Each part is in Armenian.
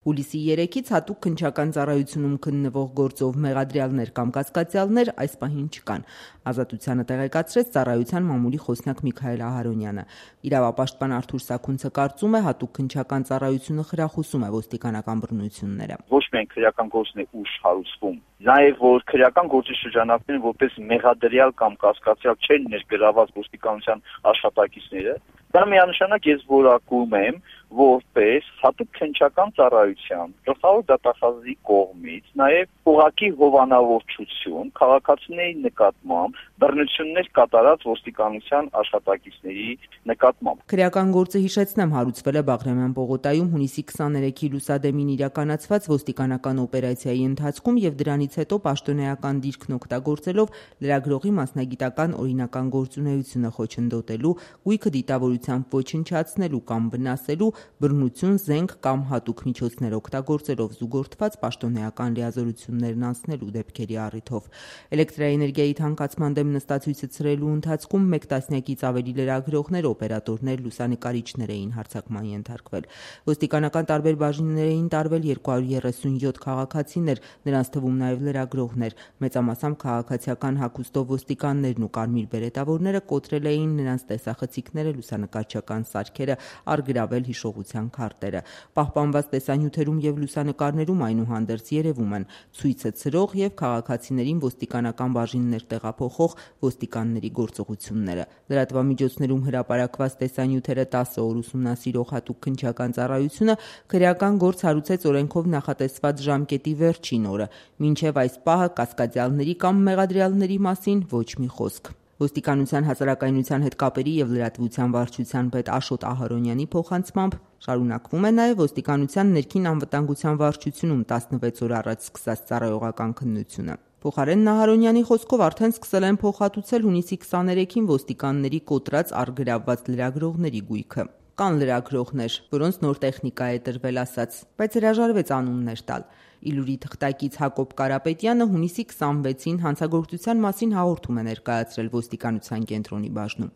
Հուլիսի 3-ից հատուկ քննչական ծառայությունում քննվող գործով մեղադրյալներ կամ կասկածյալներ այս պահին չկան, Ազատությանը տեղեկացրեց ծառայության մամուլի խոսնակ Միքայել Ահարոնյանը։ Իրավապաշտպան Արթուր Սաքունցը կարծում է, հատուկ քննչական ծառայությունը խրախուսում է ոստիկանական բռնությունները։ Ոչ միայն քրեական գործն է ուշ հարուցվում, նաև որ քրեական գործի շրջանակներում որպես մեղադրյալ կամ կասկածյալ չեն ներգրաված ոստիկանության աշխատակիցները, դա միանշանակ ես որակում եմ որպես հատուկ քննչական ծառայության գլխավոր դատախազի կողմից նաև ուղղակի հովանավորչություն քաղաքացիների նկատմամբ բռնություններ կատարած ոստիկանության աշխատակիցների նկատմամբ։ Քրեական գործը, հիշեցնեմ, հարուցվել է Բաղրամյան պողոտայում հունիսի 23-ի լուսադեմին իրականացված ոստիկանական օպերացիայի ընթացքում եւ դրանից հետո պաշտոնեական դիրքն օգտագործելով լրագրողի մասնագիտական օրինական գործունեությունը խոչընդոտելու, գույքը դիտավորությամբ ոչնչացնելու կամ վնասելու, բռնություն, զենք կամ հատուկ միջոցներ օգտագործելով զուգորդված պաշտոնեական լիազորություններն անցնելու դեպքերի առիթով։ Էլեկտրաէներգիայի թանկացման դեմ նստացույցը ցրելու ընթացքում 1 տասնյակից ավելի լրագրողներ, օպերատորներ, լուսանկարիչներ էին հարձակման ենթարկվել։ Ոստիկանական տարբեր բաժիններ էին տարվել 237 քաղաքացիներ, նրանց թվում նաև լրագրողներ։ Մեծամասամբ քաղաքացիական հագուստով ոստիկաններն ու կարմիր բերետավորները կոտրել էին նրանց տեսախցիկները, լուսանկարչական սարքերը, առգրավել հիշողության քարտերը։ Պահպանված տեսանյութերում եւ լուսանկարներում այնուհանդերձ երևում են ցույցը ցրող եւ քաղաքացիներին ոստիկանական բաժիններ տեղափոխող ոստիկանների գործողությունները։ Լրատվամիջոցներում հրապարակված տեսանյութերը 10 օր ուսումնասիրող հատուկ քննչական ծառայությունը քրեական գործ հարուցեց օրենքով նախատեսված ժամկետի վերջին օրը։ Մինչև այս պահը կասկածյալների կամ մեղադրյալների մասին ոչ մի խոսք։ Ոստիկանության հասարակայնության հետ կապերի եւ լրատվության վարչության պետ Աշոտ Ահարոնյանի փոխանցմամբ շարունակվում է նաև ոստիկանության ներքին անվտանգության վարչությունում 16 օր առաջ սկսած ծառայողական քննությունը։ Փոխարեն Ահարոնյանի խոսքով արդեն սկսել են փոխհատուցել հունիսի 23-ին ոստիկանների կոտրած առգրավված լրագրողների գույքը։ Կան լրագրողներ, որոնց նոր տեխնիկա է տրվել ասած, բայց հրաժարվեց անուններ տալ։ Իլուրի թղթակից Հակոբ Կարապետյանը հունիսի 26-ին հանցագործության մասին հաղորդում է ներկայացրել ոստիկանության կենտրոնի բաժնում։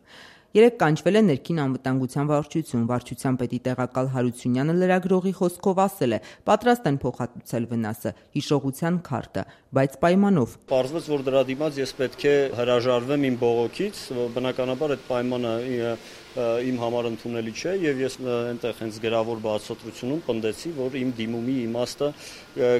Երեկ կանչվել է ներքին անվտանգության վարչություն, վարչության պետի տեղակալ Հարությունյանը լրագրողի խոսքով ասել է, պատրաստ են փոխհատուցել վնասը, հիշողության քարտը, բայց պայմանով։ Պարզվեց, որ դրա դիմաց ես պետք է հրաժարվեմ իմ բողոքից, բնականաբար այդ պայմանը իմ համար ընդունելի չէ եւ ես այնտեղ հենց գրավոր բացատրությունում պնդեցի, որ իմ դիմումի իմաստը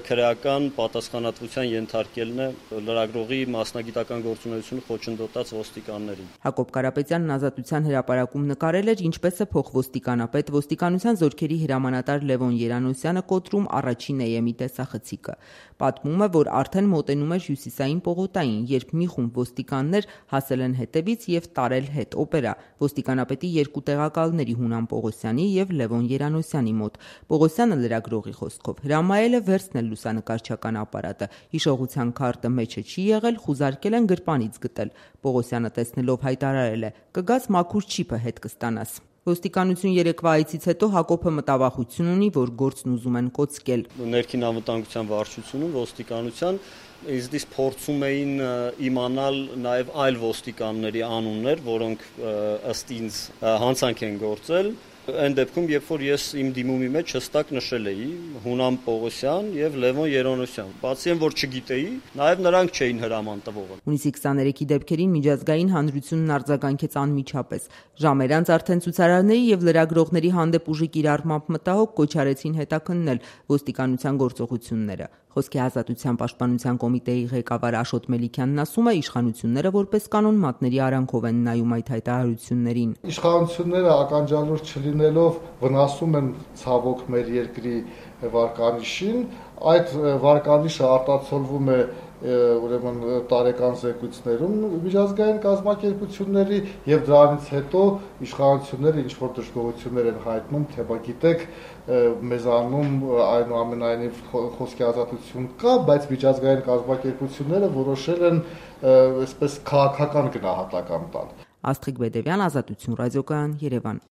քրեական պատասխանատվության ենթարկելն է լրագրողի մասնագիտական գործունեությունը խոչընդոտած ոստիկաններին։ Հակոբ Կարապետյանն Ազատության հրապարակում նկարել էր, ինչպես է փոխոստիկանապետ ոստիկանության զորքերի հրամանատար Լևոն Երանոսյանը կոտրում առաջին EM-ի տեսախցիկը։ Պատմում է, որ արդեն մոտենում էր Հյուսիսային պողոտային, երբ մի խումբ ոստիկաններ հասել են հետևից եւ տարել հետ օպերա ոստիկանապետի երկու տեղակալների Հունան Պողոսյանի եւ Լևոն Երանոսյանի մոտ։ Պողոսյանը լրագրողի խոսքով հրամայել է վերցնել լուսանկարչական ապարատը, հիշողության քարտը մեջը չի եղել, խուզարկել են գրպանից գտել։ Պողոսյանը տեսնելով հայտարարել է. «Կգաս մաքուր չիպը հետ կստանաս»։ Ոստիկանություն երեկվա այցից հետո Հակոբը մտավախություն ունի, որ գործն ուզում են կոծկել։ Ներքին անվտանգության վարչությունում ոստիկանության իզդից փորձում էին իմանալ նաև այլ ոստիկանների անուններ, որոնք ըստ ինձ հանցանք են գործել։ Այն դեպքում, երբ որ ես իմ դիմումի մեջ հստակ նշել էի Հունան Պողոսյան եւ Լևոն Երանոսյան, բացի այն, որ չգիտեի, նաև նրանք չէին հրաման տվողը։ Հունիսի 23-ի դեպքերին միջազգային հանրությունն արձագանքեց անմիջապես։ Ժամեր անց արդեն ցուցարարների եւ լրագրողների հանդեպ ուժի կիրառմամբ մտահոգ կոչ արեցին հետաքննել ոստիկանության գործողությունները։ Խոսքի ազատության պաշտպանության կոմիտեի ղեկավար Աշոտ Մելիքյանն ասում է, իշխանությունները որպես կանոն մատների արանքով են նայում այդ հայտարարություններին։ Իշխանությունները ականջալուր չլինելով վնասում են ցավոք մեր երկրի վարկանիշին, այդ վարկանիշը արտացոլվում է ուրեմն տարեկան զեկույցներում միջազգային կազմակերպությունների եւ դրանից հետո իշխանությունները ինչ որ դժգոհություններ են հայտնում, թե բա գիտեք մեզանում այնուամենայնիվ խոսքի ազատություն կա, բայց միջազգային կազմակերպությունները որոշել են այսպես քաղաքական գնահատական տալ։ Աստղիկ Բեդևյան, Ազատություն ռադիոկայան, Երևան։